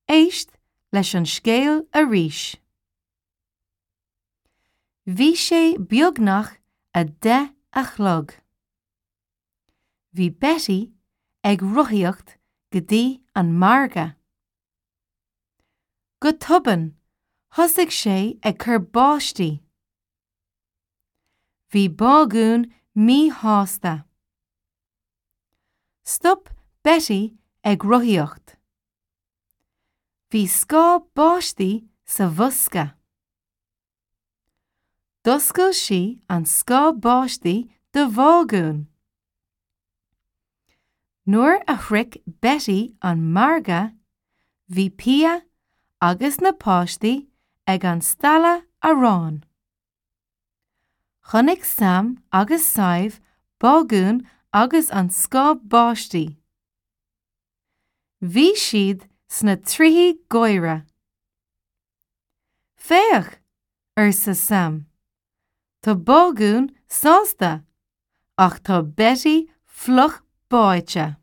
Éist leis an scéal arís. Bhí sé beagnach 10 a chlog. Bhí Betty ag rothaíocht go dtí an margadh. Go tobann, thosaigh sé ag cur báistí. Bhí Bágún míshásta. Stop Betty ag rothaíocht. Bhí scáth báistí sa bhosca. D'oscail sí an scáth báistí do Bhágún. Nuair a shroich Betty an margadh, bhí Pia agus na páistí ag an stalla aráin. Chonaic Sam agus Sadhbh Bágún agus an scáth báistí. Bhí siad sna trithí gáire. Féach! arsa Sam. Tá Bágún sásta ach tá Betty fliuch báite.